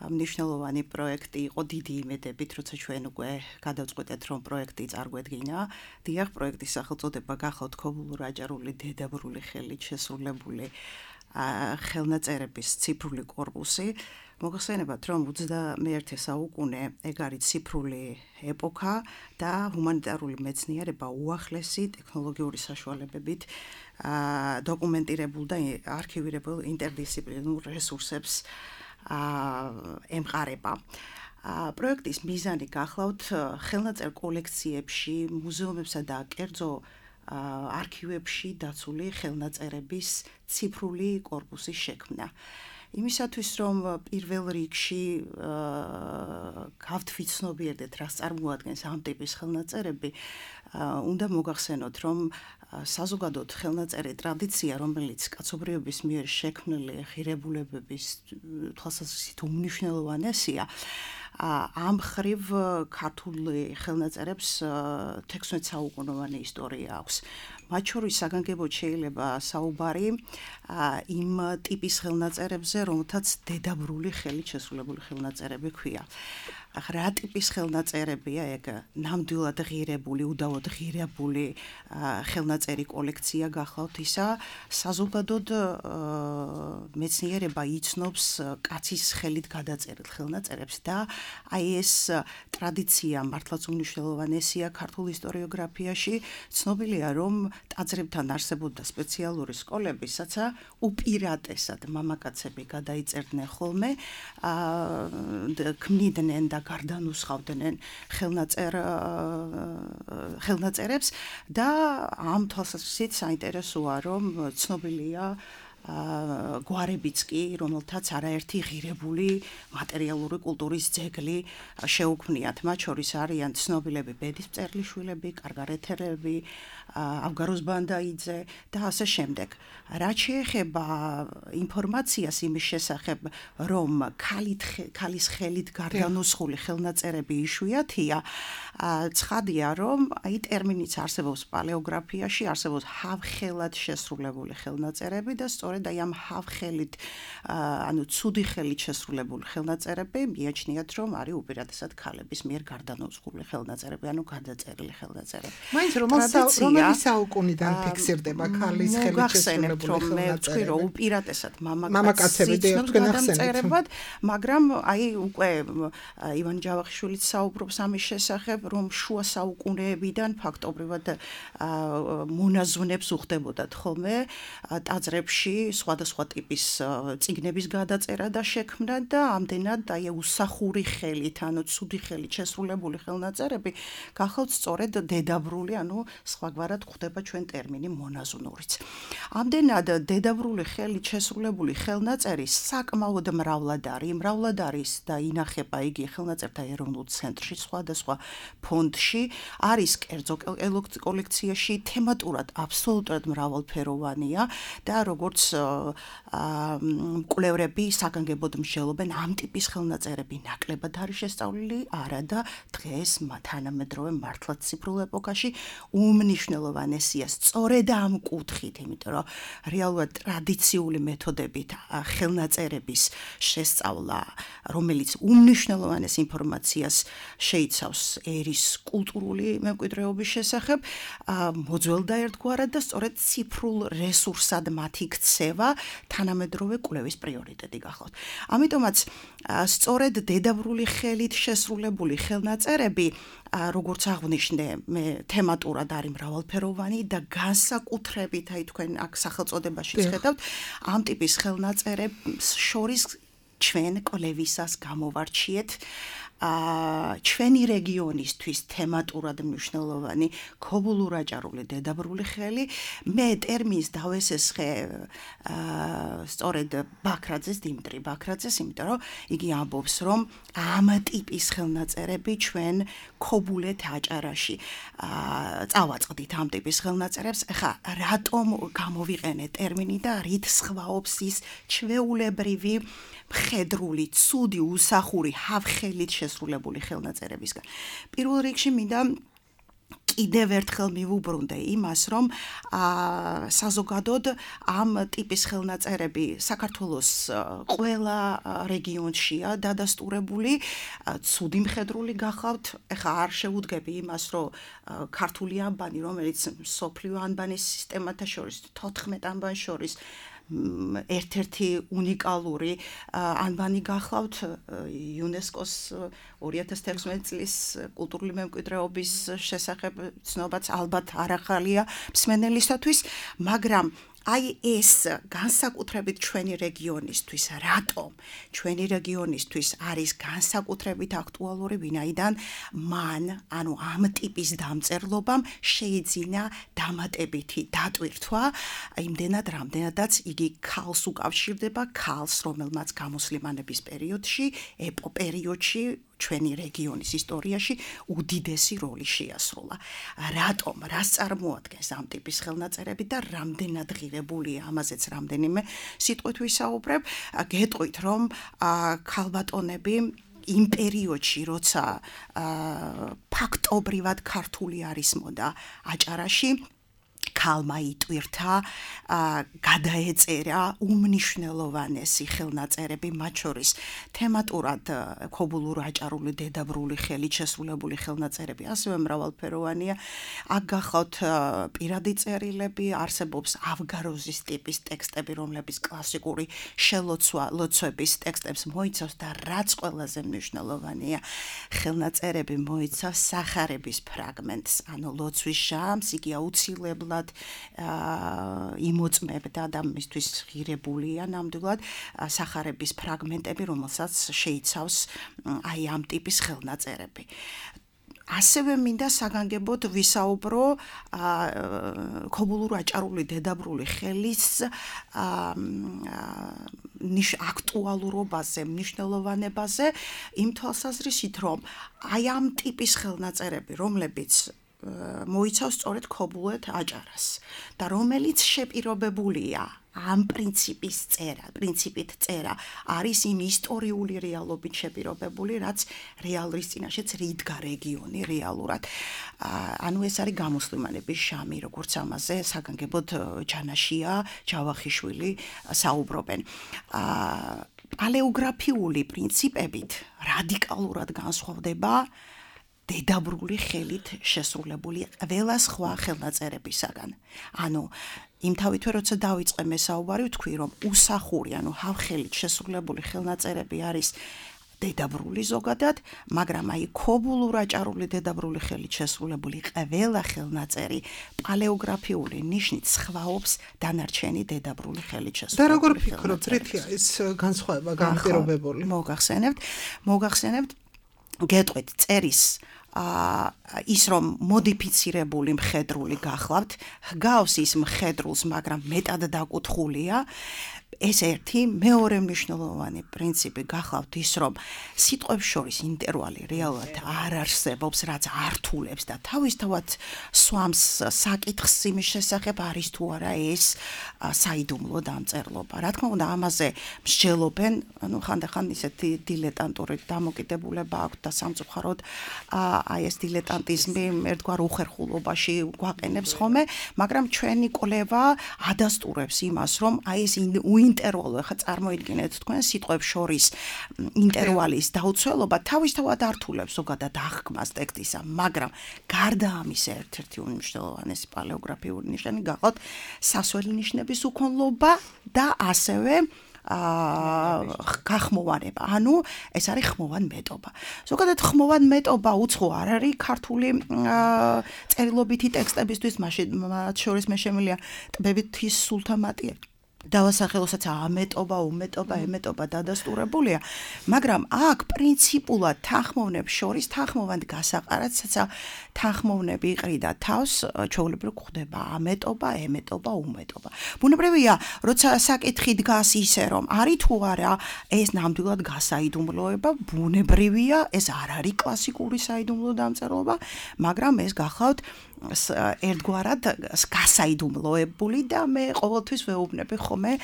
მნიშვნელოვანი პროექტი იყო დიდი იმედებით, როცა ჩვენ უკვე გადავწყვეტეთ რომ პროექტი წარგვედგინა. დიახ, პროექტის სახელწოდება გახლავთ ქობულურ აჭარული დედაბრული ხელით შესრულებული ხელნაწერების ციფრული კორპუსი. მოგახსენებათ რომ ოცდამეერთე საუკუნე ეგ არის ციფრული ეპოქა და ჰუმანიტარული მეცნიერება უახლესი ტექნოლოგიური საშუალებებით დოკუმენტირებულ და არქივირებულ ინტერდისციპლინარულ რესურსებს ემყარება. პროექტის მიზანი გახლავთ ხელნაწერ კოლექციებში, მუზეუმებსა და კერძო არქივებში დაცული ხელნაწერების ციფრული კორპუსის შექმნა. იმისათვის რომ პირველ რიგში გავთვითცნობიერდეთ რას წარმოადგენს ამ ტიპის ხელნაწერები, უნდა მოგახსენოთ რომ საზოგადოდ ხელნაწერი ტრადიცია, რომელიც კაცობრიობის მიერ შექმნილი ღირებულებების თვალსაზრისით უმნიშვნელოვანესია, ამ ხრივ ქართული ხელნაწერებს თექვსმეტ საუკუნოვანი ისტორია აქვს. მათ შორის საგანგებოდ შეიძლება საუბარი იმ ტიპის ხელნაწერებზე, რომელთაც დედაბრული ხელით შესრულებული ხელნაწერები ქვია. რა ტიპის ხელნაწერებია ეგ? ნამდვილად ღირებული, უდავოდ ღირებული ხელნაწერი კოლექცია გახლავთ ისა, საზოგადოდ მეცნიერება იცნობს კაცის ხელით გადაწერილ ხელნაწერებს და აი ეს ტრადიცია მართლაც უმნიშვნელოვანესია ქართულ ისტორიოგრაფიაში. ცნობილია რომ ტაძრებთან არსებობდა სპეციალური სკოლები, სადაც უპირატესად მამაკაცები გადაიწერდნენ ხოლმე, ქმნიდნენ და გარდანუსხავდნენ ხელნაწერ ხელნაწერებს და ამ თვალსაზრისით საინტერესოა რომ ცნობილია გვარებიც კი, რომელთაც არაერთი ღირებული მატერიალური კულტურის ძეგლი შეუქმნიათ. მათ შორის არიან ცნობილები ბედისწერლიშვილები, კარგარეთელები, ავგაროს ბანდაიძე და ასე შემდეგ. რაც შეეხება ინფორმაციას იმის შესახებ, რომ ქალის ხელით გარდანუსხული ხელნაწერები იშვიათია, ცხადია რომ აი ტერმინიც არსებობს პალეოგრაფიაში, არსებობს ჰავხელად შესრულებული ხელნაწერები და სწორედ აი ამ ჰავხელით, ანუ ცუდი ხელით შესრულებული ხელნაწერები მიაჩნიათ რომ არის უპირატესად ქალების მიერ გარდანუსხული ხელნაწერები, ანუ გადაწერილი ხელნაწერები.
მაინც რომელი საუკუნიდან ფიქსირდება ქალის ხელით შესრულებული
რომ მე ვთქვი რომ უპირატესად მამაკაცები ცნობს გადამწერებად, მაგრამ აი უკვე ივან ჯავახიშვილიც საუბრობს ამის შესახებ, რომ შუა საუკუნეებიდან ფაქტობრივად მონაზვნებს უხდებოდათ ხოლმე ტაძრებში სხვადასხვა ტიპის წიგნების გადაწერა და შექმნა და ამდენად აი უსახური ხელით, ანუ ცუდი ხელით შესრულებული ხელნაწერები გახლავთ სწორედ დედაბრული, ანუ სხვაგვარად ხდება ჩვენ ტერმინი მონაზვნურიც. ამდენად დედაბრული ხელით შესრულებული ხელნაწერი საკმაოდ მრავლად არის, მრავლად არის და ინახება იგი ხელნაწერთა ეროვნულ ცენტრში, სხვადასხვა ფონდში, არის კერძო კოლექციაში, თემატურად აბსოლუტურად მრავალფეროვანია და როგორც მკვლევრები საგანგებოდ მსჯელობენ ამ ტიპის ხელნაწერები ნაკლებად არის შესწავლილი, არა და დღეს თანამედროვე მართლაც ციფრულ ეპოქაში უმნიშვნელოვანესია სწორედ ამ კუთხით, იმიტომ რომ რეალურად ტრადიციული მეთოდებით ხელნაწერების შესწავლა, რომელიც უმნიშვნელოვანეს ინფორმაციას შეიცავს ერის კულტურული მემკვიდრეობის შესახებ, მოძველდა ერთგვარად და სწორედ ციფრულ რესურსად მათი ქცევა თანამედროვე კვლევის პრიორიტეტი გახლავთ. ამიტომაც სწორედ დედაბრული ხელით შესრულებული ხელნაწერები, როგორც აღვნიშნე, მე თემატურად არის მრავალფეროვანი და განსაკუთრებით, აი თქვენ აქ სახელწოდებაში ხედავთ, ამ ტიპის ხელნაწერებს შორის ჩვენ კვლევისას გამოვარჩიეთ ჩვენი რეგიონისთვის თემატურად მნიშვნელოვანი ქობულურ-აჭარული დედაბრული ხელი. მე ტერმინს დავესესხე სწორედ ბაქრაძეს, დიმიტრი ბაქრაძეს, იმიტომ რომ იგი ამბობს, რომ ამ ტიპის ხელნაწერები ჩვენ ქობულეთ აჭარაში წავაწყდით ამ ტიპის ხელნაწერებს. ეხლა რატომ გამოვიყენე ტერმინი და რით სხვაობს ის ჩვეულებრივი მხედრული, ცუდი, უსახური, ჰავხელით შესრულებული ხელნაწერებისგან. პირველ რიგში მინდა კიდევ ერთხელ მივუბრუნდე იმას, რომ საზოგადოდ ამ ტიპის ხელნაწერები საქართველოს ყველა რეგიონშია დადასტურებული, ცუდი მხედრული გახავთ. ეხლა არ შევუდგები იმას, რომ ქართული ანბანი, რომელიც მსოფლიო ანბანის სისტემათა შორის, თოთხმეტ ანბანს შორის ერთ-ერთი უნიკალური ანბანი გახლავთ იუნესკოს ორი ათას თერთმეტ წლის კულტურული მემკვიდრეობის შესახებ ცნობაც ალბათ არ ახალია მსმენელისათვის, მაგრამ აი ეს განსაკუთრებით ჩვენი რეგიონისთვის, რატომ ჩვენი რეგიონისთვის არის განსაკუთრებით აქტუალური, ვინაიდან მან, ანუ ამ ტიპის დამწერლობამ შეიძინა დამატებითი დატვირთვა, იმდენად, რამდენადაც იგი ქალს უკავშირდება, ქალს, რომელმაც გამოსლიმანების პერიოდში, ეპო პერიოდში ჩვენი რეგიონის ისტორიაში უდიდესი როლი შეასრულა. რატომ, რას წარმოადგენს ამ ტიპის ხელნაწერები და რამდენად ღირებულია, ამაზეც რამდენიმე სიტყვით ვისაუბრებ. გეტყვით, რომ ქალბატონები იმ პერიოდში, როცა ფაქტობრივად ქართული არის მოდა აჭარაში, ქალმა იტვირთა, გადაეწერა უმნიშვნელოვანესი ხელნაწერები, მათ შორის თემატურად ქობულურ-აჭარული დედაბრული ხელით შესრულებული ხელნაწერები, ასევე მრავალფეროვანია. აქ გახლავთ პირადი წერილები, არსებობს ავგაროზის ტიპის ტექსტები, რომლებიც კლასიკური შელოცვა ლოცვების ტექსტებს მოიცავს და რაც ყველაზე მნიშვნელოვანია, ხელნაწერები მოიცავს სახარების ფრაგმენტს, ანუ ლოცვის ჟამს, იგი აუცილებლად იმოწმებდა და მისთვის ღირებულია ნამდვილად სახარების ფრაგმენტები, რომელსაც შეიცავს აი ამ ტიპის ხელნაწერები. ასევე მინდა საგანგებოდ ვისაუბრო ქობულურ-აჭარული დედაბრული ხელის აქტუალურობაზე, მნიშვნელოვანებაზე, იმ თვალსაზრისით, რომ აი ამ ტიპის ხელნაწერები, რომლებიც მოიცავს სწორედ ქობულეთ აჭარას და რომელიც შეპირობებულია ამ პრინციპის წერა, პრინციპით წერა არის იმ ისტორიული რეალობით შეპირობებული, რაც რეალრის წინაშეც რიდგა რეგიონი რეალურად. ანუ ეს არის გამოსლიმანების ჟამი, როგორც ამაზე საგანგებოდ ჯანაშია, ჯავახიშვილი საუბრობენ. პალეოგრაფიული პრინციპებით რადიკალურად განსხვავდება დედაბრული ხელით შესრულებული ყველა სხვა ხელნაწერებისაგან. ანუ იმთავითვე როცა დავიწყე მესაუბარი, ვთქვი, რომ უსახური, ანუ ჰავხელით შესრულებული ხელნაწერები არის დედაბრული ზოგადად, მაგრამ აი ქობულურ-აჭარული დედაბრული ხელით შესრულებული ყველა ხელნაწერი პალეოგრაფიული ნიშნით სხვაობს დანარჩენი დედაბრული ხელით შესრულებული.
და როგორ ფიქრობთ, რითია ეს განსხვავება განპირობებული?
მოგახსენებთ, მოგახსენებთ, გეტყვით წერის ის რომ მოდიფიცირებული მხედრული გახლავთ, ჰგავს ის მხედრულს, მაგრამ მეტად დაკუთხულია. ეს ერთი მეორე მნიშვნელოვანი პრინციპი გახლავთ ის, რომ სიტყვებს შორის ინტერვალი რეალურად არ არსებობს, რაც ართულებს და თავისთავად სვამს საკითხს იმის შესახებ არის თუ არა ეს საიდუმლო დამწერლობა. Რა თქმა უნდა, ამაზე მსჯელობენ, ანუ ხანდახან ისეთი დილეტანტური დამოკიდებულება აქვს და სამწუხაროდ აი ეს დილეტანტიზმი ერთგვარ უხერხულობაში გვაყენებს ხოლმე, მაგრამ ჩვენი კვლევა ადასტურებს იმას, რომ აი ეს უინტერვალო, ახლა წარმოიდგინეთ თქვენ სიტყვებს შორის ინტერვალის დაუცველობა თავისთავად ართულებს ზოგადად აღქმას ტექსტისა, მაგრამ გარდა ამისა ერთ-ერთი უმნიშვნელოვანესი პალეოგრაფიული ნიშანი გახლავთ სასველი ნიშნების უქონლობა და ასევე გახმოვანება. ანუ ეს არის ხმოვან მეტობა. ზოგადად ხმოვან მეტობა უცხო არ არის ქართული წერილობითი ტექსტებისთვის, მათ შორის მე შემიძლია ტბებითი სულთამატია დავასახელოსაც ამეტობა, უმეტობა, ემეტობა დადასტურებულია, მაგრამ აქ პრინციპულად თანხმოვნებს შორის თანხმოვან გასაყარად თანხმოვნები იყრიდა თავს, ჩვეულებრივ გვხვდება ამეტობა, ემეტობა, უმეტობა. ბუნებრივია, როცა საკითხი დგას ისე, რომ არის თუ არა ეს ნამდვილად გასაიდუმლოება, ბუნებრივია, ეს არ არის კლასიკური საიდუმლო დამწერლობა, მაგრამ ეს გახლავთ ერთგვარად გასაიდუმლოებული და მე ყოველთვის ვეუბნები ხოლმე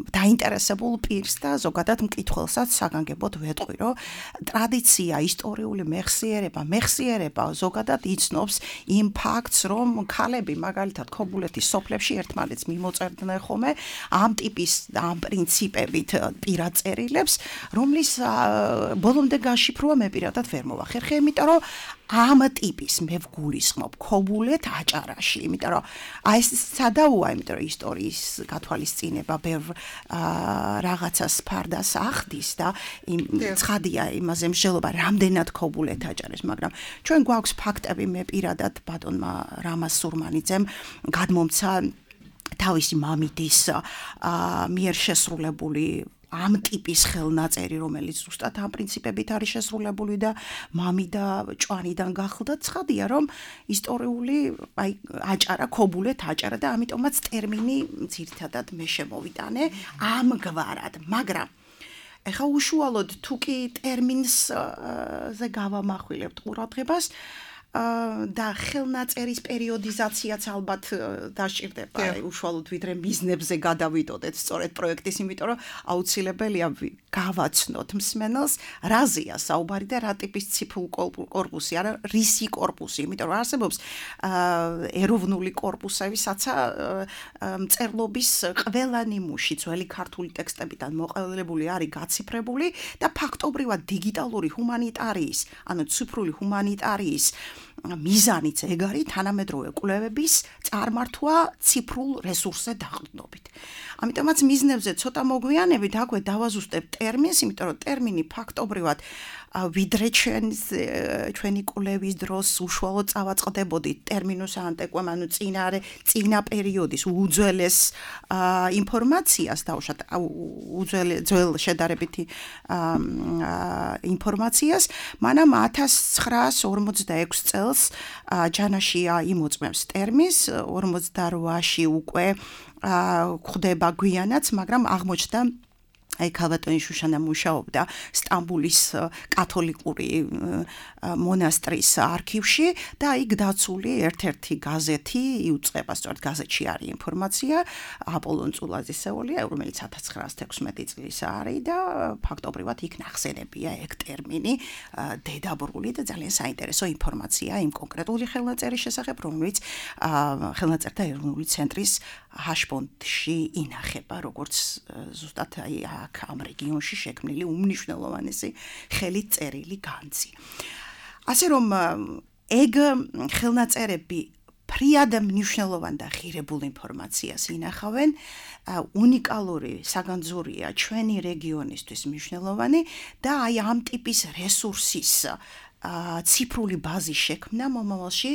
დაინტერესებულ პირს და ზოგადად მკითხველსაც საგანგებოდ ვეტყვი, რომ ტრადიცია, ისტორიული მეხსიერება, მეხსიერება ზოგადად იცნობს იმ ფაქტს, რომ ქალები მაგალითად ქობულეთის სოფლებში ერთმანეთს მიმოწერდნენ ხოლმე ამ ტიპის ამ პრინციპებით პირად წერილებს, რომლის ბოლომდე გაშიფრვა მე პირადად ვერ მოვახერხე, იმიტომ რომ ამ ტიპის მე ვგულისხმობ ქობულეთ აჭარაში, იმიტომ რომ აი ეს სადაუა, იმიტომ რომ ისტორიის გათვალისწინება ბევრ რაღაცას ფარდას ახდის და ცხადია იმაზე მსჯელობა რამდენად ქობულეთ აჭარეს, მაგრამ ჩვენ გვაქვს ფაქტები, მე პირადად ბატონმა რამაზ სურმანიძემ გადმომცა თავისი მამიდის მიერ შესრულებული ამ ტიპის ხელნაწერი, რომელიც ზუსტად ამ პრინციპებით არის შესრულებული და მამი და ჭვანიდან გახლდა, ცხადია, რომ ისტორიული აი აჭარა, ქობულეთ აჭარა და ამიტომაც ტერმინი ძირითადად მე შემოვიტანე ამგვარად, მაგრამ ეხა უშუალოდ თუ კი ტერმინზე გავამახვილებთ ყურადღებას და ხელნაწერის პერიოდიზაციაც ალბათ დასჭირდება, უშუალოდ ვიდრე მიზნებზე გადავიდოდეთ სწორედ პროექტის, იმიტომ რომ აუცილებელია გავაცნოთ მსმენელს, რაზეა საუბარი და რა ტიპის ციფრულ კორპუსი, არა რისი კორპუსი, იმიტომ რომ არსებობს ეროვნული კორპუსები, საცა მწერლობის ყველა ნიმუში ძველი ქართული ტექსტებიდან მოყოლებული არის გაციფრებული და ფაქტობრივად დიგიტალური ჰუმანიტარიის, ანუ ციფრული ჰუმანიტარიის მიზანიც ეგ არის თანამედროვე კვლევების წარმართვა ციფრულ რესურსზე დაყრდნობით. ამიტომაც მიზნებზე ცოტა მოგვიანებით აქვე დავაზუსტებ ტერმინს, იმიტომ რომ ტერმინი ფაქტობრივად ვიდრე ჩვენი კვლევის დროს უშუალოდ წავაწყდებოდი ტერმინუს ანტეკვემ, ანუ წინარე წინა პერიოდის უძველეს ინფორმაციას დავუშვათ, ძველ შედარებითი ინფორმაციას, მანამ ათას ცხრაას ორმოცდაექვსი წელს ჯანაშია იმოწმებს ტერმინს, ორმოცდაოთხში უკვე გვხვდება გვიანაც, მაგრამ აღმოჩნდა აი ქალბატონი შუშანა მუშაობდა სტამბულის კათოლიკური მონასტრის არქივში და იქ დაცული ერთ-ერთი გაზეთი იუწყება, სწორედ გაზეთში არის ინფორმაცია, აპოლონ წულაძისეული, რომელიც ათას ცხრაას თექვსმეტი წლის არის და ფაქტობრივად იქ ნახსენებია ეგ ტერმინი დედაბრული და ძალიან საინტერესო ინფორმაცია იმ კონკრეტული ხელნაწერის შესახებ, რომელიც ხელნაწერთა ეროვნული ცენტრის ჰაშფონდში ინახება, როგორც ზუსტად აი აქ ამ რეგიონში შექმნილი უმნიშვნელოვანესი ხელით წერილი განძი. ასე რომ ეგ ხელნაწერები ფრიად მნიშვნელოვან და ღირებულ ინფორმაციას ინახავენ, უნიკალური საგანძურია ჩვენი რეგიონისთვის მნიშვნელოვანი და აი ამ ტიპის რესურსის ციფრული ბაზის შექმნა მომავალში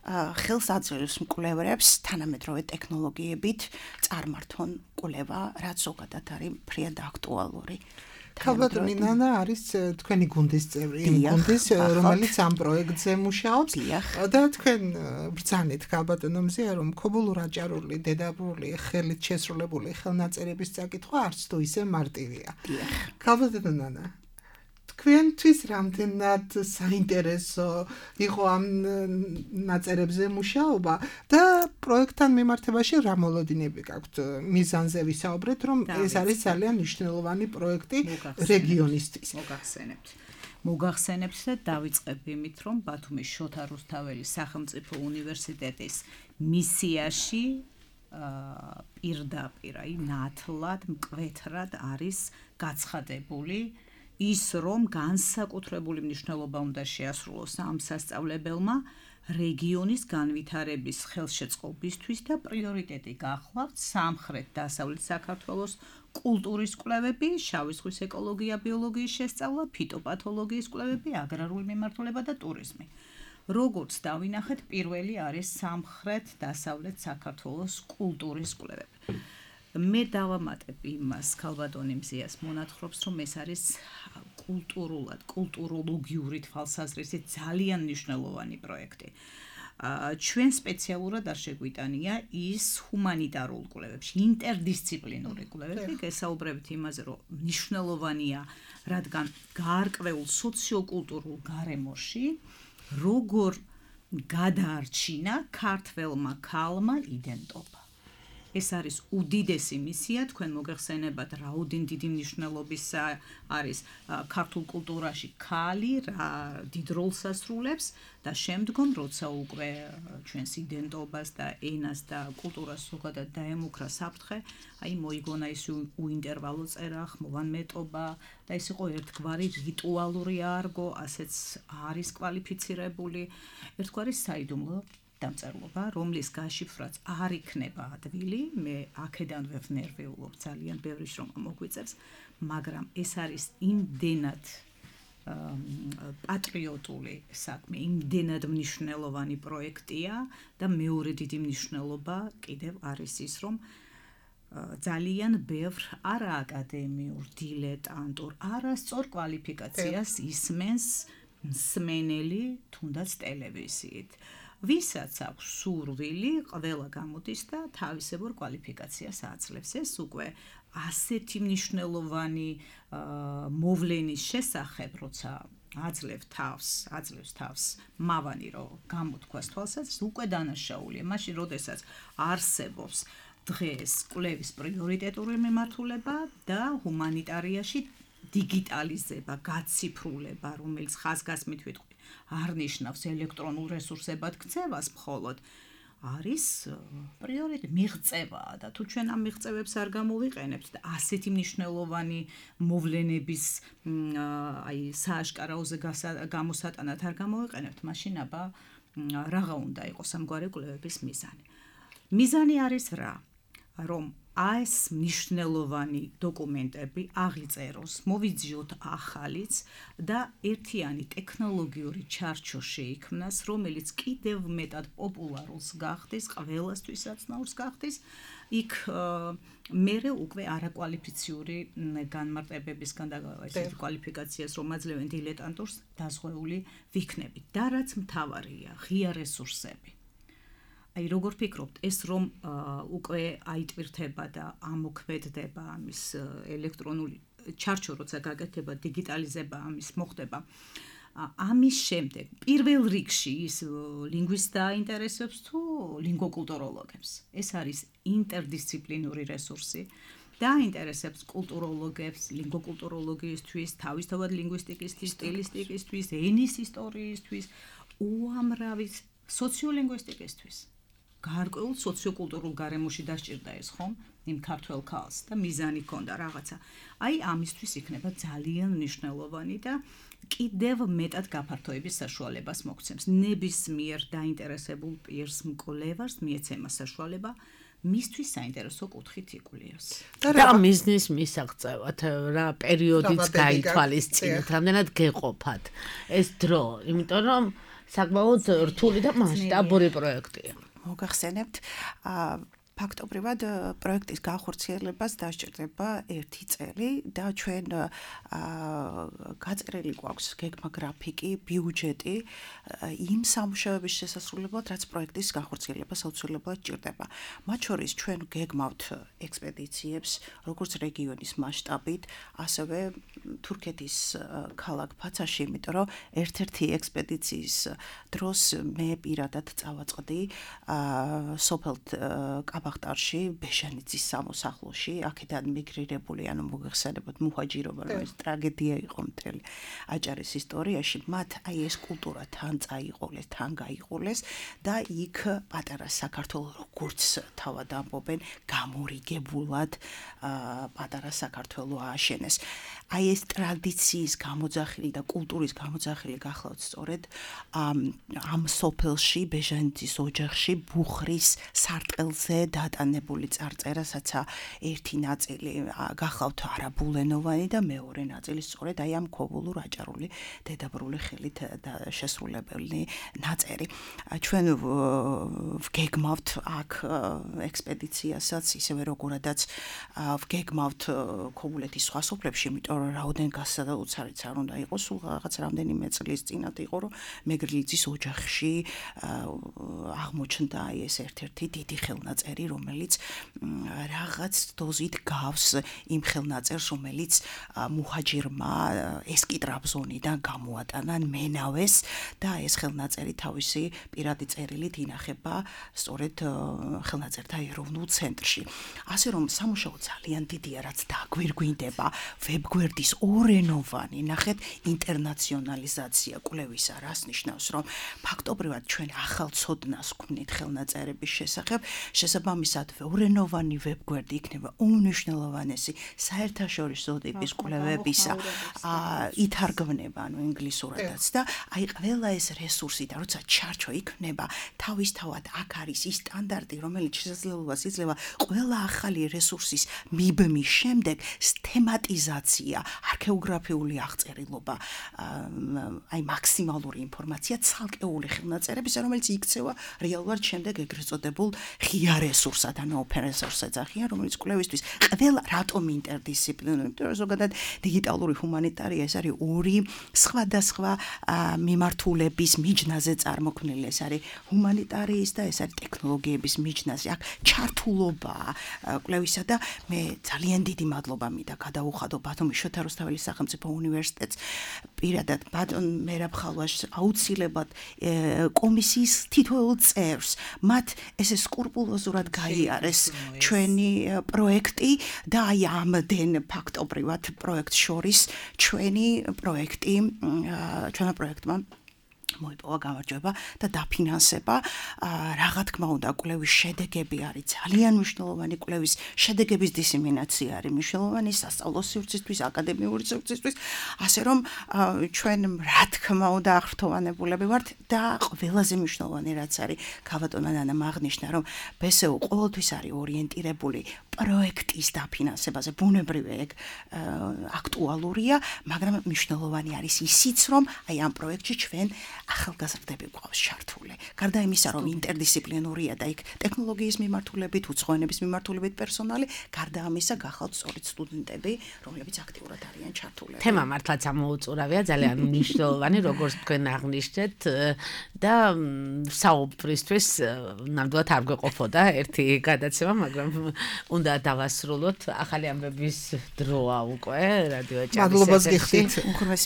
ხელს აძლევს მკვლევარებს თანამედროვე ტექნოლოგიებით წარმართონ კვლევა, რაც ზოგადად არის ფრიად აქტუალური.
ქალბატონი ნანა არის თქვენი გუნდის წევრი, იმ გუნდის, რომელიც ამ პროექტზე მუშაობს და თქვენ ბრძანეთ ქალბატონო მზეა, რომ ქობულურ-აჭარული, დედაბრული, ხელით შესრულებული ხელნაწერების წაკითხვა არც თუ ისე მარტივია. ქალბატონო ნანა, თქვენთვის რამდენად საინტერესო იყო ამ ნაწერებზე მუშაობა და პროექტთან მიმართებაში რა მოლოდინები გაქვთ მიზანზე ვისაუბრეთ, რომ ეს არის ძალიან მნიშვნელოვანი პროექტი რეგიონისთვის.
მოგახსენებთ. მოგახსენებთ და დავიწყებ იმით, რომ ბათუმის შოთა რუსთაველის სახელმწიფო უნივერსიტეტის მისიაში პირდაპირ, აი ნათლად, მკვეთრად არის გაცხადებული ის რომ განსაკუთრებული მნიშვნელობა უნდა შეასრულოს ამ სასწავლებელმა რეგიონის განვითარების ხელშეწყობისთვის და პრიორიტეტი გახლავთ სამხრეთ-დასავლეთ საქართველოს კულტურის კვლევები, შავი ზღვის ეკოლოგია, ბიოლოგიის შესწავლა, ფიტოპათოლოგიის კვლევები, აგრარული მიმართულება და ტურიზმი. როგორც დავინახეთ, პირველი არის სამხრეთ-დასავლეთ საქართველოს კულტურის კვლევები. მე დავამატებ იმას ქალბატონი მზიას მონათხრობს, რომ ეს არის კულტურულად, კულტუროლოგიური თვალსაზრისით ძალიან მნიშვნელოვანი პროექტი. ჩვენ სპეციალურად არ შეგვიტანია ის ჰუმანიტარულ კვლევებში, ინტერდისციპლინური კვლევები, გესაუბრებით იმაზე, რომ მნიშვნელოვანია, რადგან გაარკვეულ სოციოკულტურულ გარემოში როგორ გადაარჩინა ქართველმა ქალმა იდენტობა. ეს არის უდიდესი მისია, თქვენ მოგეხსენებათ, რაოდენ დიდი მნიშვნელობის არის ქართულ კულტურაში ქალი, რა დიდ როლს ასრულებს და შემდგომ, როცა უკვე ჩვენს იდენტობას და ენას და კულტურას ზოგადად დაემუქრა საფრთხე, აი მოიგონა ის უინტერვალო წერა, ხმოვანმეტობა და ეს იყო ერთგვარი რიტუალური არგო, ასეც არის კვალიფიცირებული, ერთგვარი საიდუმლო დამწერლობა, რომლის გაშიფრვაც არ იქნება ადვილი, მე აქედანვე ვნერვეულობ ძალიან ბევრი შრომა მოგვიწევს, მაგრამ ეს არის იმდენად პატრიოტული საქმე, იმდენად მნიშვნელოვანი პროექტია და მეორე დიდი მნიშვნელობა კიდევ არის ის, რომ ძალიან ბევრ არააკადემიურ, დილეტანტურ, არასწორ კვალიფიკაციას ისმენს მსმენელი, თუნდაც ტელევიზიით. ვისაც აქვს სურვილი, ყველა გამოდის და თავისებურ კვალიფიკაციას აძლევს. ეს უკვე ასეთი მნიშვნელოვანი მოვლენის შესახებ, როცა აძლევ თავს, აძლევს თავს მავანი, რომ გამოთქვას თვალსაზრისით, უკვე დანაშაულია. მაშინ, როდესაც არსებობს დღეს კვლევის პრიორიტეტული მიმართულება და ჰუმანიტარიაში დიგიტალიზება, გაციფრულება, რომელიც ხაზგასმით ვიტყვი, არ ნიშნავს ელექტრონულ რესურსებად ქცევას მხოლოდ, არის პრიორიტეტი, მიღწევაა და თუ ჩვენ ამ მიღწევებს არ გამოვიყენებთ და ასეთი მნიშვნელოვანი მოვლენების აი სააშკარაოზე გამოსატანად არ გამოვიყენებთ, მაშინ აბა რაღა უნდა იყოს ამგვარი კვლევების მიზანი. მიზანი არის რა? რომ ეს მნიშვნელოვანი დოკუმენტები აღიწეროს, მოვიძიოთ ახალიც და ერთიანი ტექნოლოგიური ჩარჩო შეიქმნას, რომელიც კიდევ მეტად პოპულარულს გახდეს, ყველასთვის აცნაურს გახდეს, იქ მერე უკვე არაკვალიფიციური განმარტებებისგან და ესეთი კვალიფიკაციას რომ აძლევენ დილეტანტურს დაზღვეული ვიქნებით. და რაც მთავარია, ღია რესურსები. აი როგორ ფიქრობთ, ეს რომ უკვე აიტვირთება და ამოქმედდება ამის ელექტრონული ჩარჩო, როცა გაკეთება, დიგიტალიზება ამის მოხდება. ამის შემდეგ პირველ რიგში ის ლინგვისტს დაინტერესებს თუ ლინგვოკულტუროლოგებს. ეს არის ინტერდისციპლინური რესურსი. დაინტერესებს კულტუროლოგებს, ლინგვოკულტუროლოგიისთვის, თავისთავად ლინგვისტიკისთვის, სტილისტიკისთვის, ენის ისტორიისთვის, უამრავი სოციოლინგვისტიკისთვის. გარკვეულ სოციოკულტურულ გარემოში დასჭირდა ეს ხომ იმ ქართველ ქალს და მიზანი ჰქონდა რაღაცა. აი ამისთვის იქნება ძალიან მნიშვნელოვანი და კიდევ მეტად გაფართოების საშუალებას მოგცემს. ნებისმიერ დაინტერესებულ პირს, მკვლევარს მიეცემა საშუალება მისთვის საინტერესო კუთხით იკვლიოს.
და მიზნის მისაღწევად რა პერიოდიც გაითვალისწინოთ, რამდენად გეყოფათ ეს დრო, იმიტომ რომ საკმაოდ რთული და მასშტაბური პროექტია.
მოგახსენებთ, აა ფაქტობრივად პროექტის განხორციელებას დასჭირდება ერთი წელი და ჩვენ გაწერილი გვაქვს გეგმა გრაფიკი, ბიუჯეტი იმ სამუშაოების შესასრულებლად, რაც პროექტის განხორციელებას აუცილებლად ჭირდება. მათ შორის ჩვენ გეგმავთ ექსპედიციებს, როგორც რეგიონის მასშტაბით, ასევე თურქეთის ქალაქ ფაცაში, იმიტომ რომ ერთ-ერთი ექსპედიციის დროს მე პირადად წავაწყდი სოფელ კაბახტარში, ბეჟანიძის სამოსახლოში, აქედან მიგრირებული, ანუ მოგეხსენებათ მუჰაჯირობა, რომელიც ტრაგედია იყო მთელი აჭარის ისტორიაში, მათ აი ეს კულტურა თან წაიყოლეს, თან გაიყოლეს და იქ პატარა საქართველოს როგორც თავად ამბობენ, გამორიგებულად პატარა საქართველოს ააშენეს. აი ეს ტრადიციის გამოძახილი და კულტურის გამოძახილი გახლავთ სწორედ ამ სოფელში, ბეჟანიძის ოჯახში, ბუხრის სარტყელზე დატანებული წარწერასაც ერთი ნაწილი გახლავთ არაბულენოვანი და მეორე ნაწილი სწორედ აი ამ ქობულურ აჭარული დედაბრული ხელით შესრულებული ნაწერი. ჩვენ ვგეგმავთ აქ ექსპედიციასაც, ისევე როგორადაც ვგეგმავთ ქობულეთის სხვა სოფლებში, იმიტომ რომ რაოდენ გასაუცარიც არ უნდა იყოს, სულ რაღაც რამდენიმე წლის წინათ იყო, რომ მეგრილიძის ოჯახში აღმოჩნდა აი ეს ერთ-ერთი დიდი ხელნაწერი, რომელიც რაღაც დოზით გავს იმ ხელნაწერს, რომელიც მუჰაჯირმა ესკიტრაბზონიდან გამოატანა მენავეს და ეს ხელნაწერი თავისი პირადი წერილით ინახება სწორედ ხელნაწერთა ეროვნულ ცენტრში. ასე რომ სამუშაო ძალიან დიდია, რაც დაგვირგვინდება, ვებგვერდის ორენოვანი, ნახეთ, ინტერნაციონალიზაცია კვლევისა, რას ნიშნავს, რომ ფაქტობრივად ჩვენ ახალ ცოდნას გვქნით ხელნაწერების შესახებ, შესაბამისად ორენოვანი ვებგვერდი იქნება უმნიშვნელოვანესი საერთაშორისო ტიპის კვლევებისა, ითარგმნება, ანუ ინგლისურადაც და აი ყველა ეს რესურსი და როცა ჩარჩო იქნება, თავისთავად აქ არის ის სტანდარტი, რომელიც შესაძლებლობას იძლევა ყველა ახალი რესურსის მიბმის შემდეგ სთემატიზაცია, არქეოგრაფიული აღწერილობა, აი მაქსიმალური ინფორმაცია ცალკეული ხელნაწერების, რომელიც იქცევა რეალურად შემდეგ ეგრეთ წოდებულ ღია რესურსად, ანუ open resource ეძახიან, რომელიც კვლევისთვის ყველა რატომ ინტერდისციპლინური, იმიტომ რომ ზოგადად დიგიტალური ჰუმანიტარია ეს არის ორი სხვადასხვა მიმართულების მიჯნაზე წარმოქმნილი, ეს არის ჰუმანიტარიის და ეს არის ტექნოლოგიების მიჯნაზე. აქ ჩართულობაა კვლევისა და მე ძალიან დიდი მადლობა მინდა გადაუხადო ბათუმის შოთა რუსთაველის სახელმწიფო უნივერსიტეტს, პირადად ბატონ მერაბ ხალვაშს, აუცილებლად კომისიის თითოეულ წევრს, მათ ესე სკრუპულოზურად გაიარეს ჩვენი პროექტი და აი ამდენ ფაქტობრივად პროექტ შორის ჩვენი პროექტი, ჩვენმა პროექტმა მოიპოვა გამარჯვება და დაფინანსება. რა თქმა უნდა, კვლევის შედეგები არის ძალიან მნიშვნელოვანი, კვლევის შედეგების დისემინაცია არის მნიშვნელოვანი სასწავლო სივრცისთვის, აკადემიური სივრცისთვის, ასე რომ ჩვენ რა თქმა უნდა აღრთოვანებულები ვართ და ყველაზე მნიშვნელოვანი რაც არის, გავატონა ნანამ აღნიშნა, რომ ბესეუ ყოველთვის არის ორიენტირებული პროექტის დაფინანსებაზე, ბუნებრივია ეგ აქტუალურია, მაგრამ მნიშვნელოვანი არის ისიც, რომ აი ამ პროექტში ჩვენ ახალგაზრდები გვყავს ჩართული. გარდა იმისა, რომ ინტერდისციპლინურია და იქ ტექნოლოგიის მიმართულებით, უცხოენების მიმართულებით პერსონალი, გარდა ამისა გახავთ სწორედ სტუდენტები, რომლებიც აქტიურად არიან ჩართულები.
თემა მართლაც ამოუწურავია, ძალიან მნიშვნელოვანი, როგორც თქვენ აღნიშნეთ და საუბრისთვის ნამდვილად არ გვეყოფოდა ერთი გადაცემა, მაგრამ უნდა დავასრულოთ. ახალი ამბების დროა უკვე რადიო ჭარის.
მადლობას გიხდით.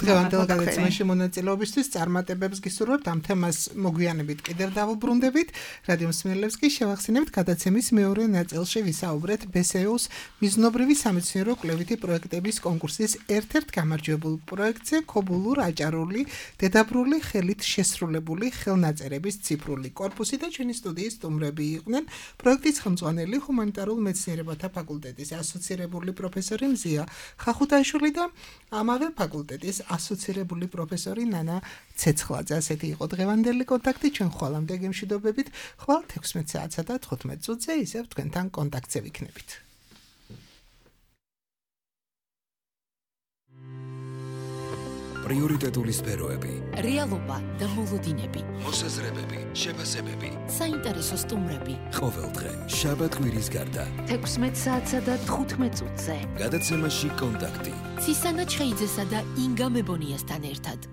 დღევანდელ გადაცემაში მონაწილეობისთვის წარმატებებს გისურვებთ. ამ თემას მოგვიანებით კიდევ დავუბრუნდებით. რადიო მსმენელებს კი შევახსენებთ გადაცემის მეორე ნაწილში ვისაუბრეთ ბესეუს მიზნობრივი სამეცნიერო კვლევითი პროექტების კონკურსის ერთ-ერთ გამარჯვებულ პროექტზე ქობულურ აჭარული დედაბრული ხელით შესრულებული ხელნაწერების ციფრული კორპუსი და ჩვენი სტუდიის სტუმრები იყვნენ პროექტის ხელმძღვანელი ჰუმანიტარულ მეცნიერებათა ფაკულტეტის ასოცირებული პროფესორი მზია ხახუთაიშვილი და ამავე ფაკულტეტის ასოცირებული პროფესორი ნანა ცეცხლაძე. ასეთი იყო დღევანდელი კონტაქტი. ჩვენ ხვალამდე გემშვიდობებით. ხვალ თექვსმეტ საათსა და თხუთმეტ წუთზე ისევ თქვენთან კონტაქტზე ვიქნებით.
პრიორიტეტული სფეროები,
რეალობა და მოლოდინები,
მოსაზრებები, შეფასებები,
საინტერესო სტუმრები.
ყოველდღე, შაბათ-კვირის გარდა.
თექვსმეტ საათსა და თხუთმეტ წუთზე.
გადაცემაში კონტაქტი.
ცისანა ჩხეიძესა და ინგა მებონიასთან ერთად.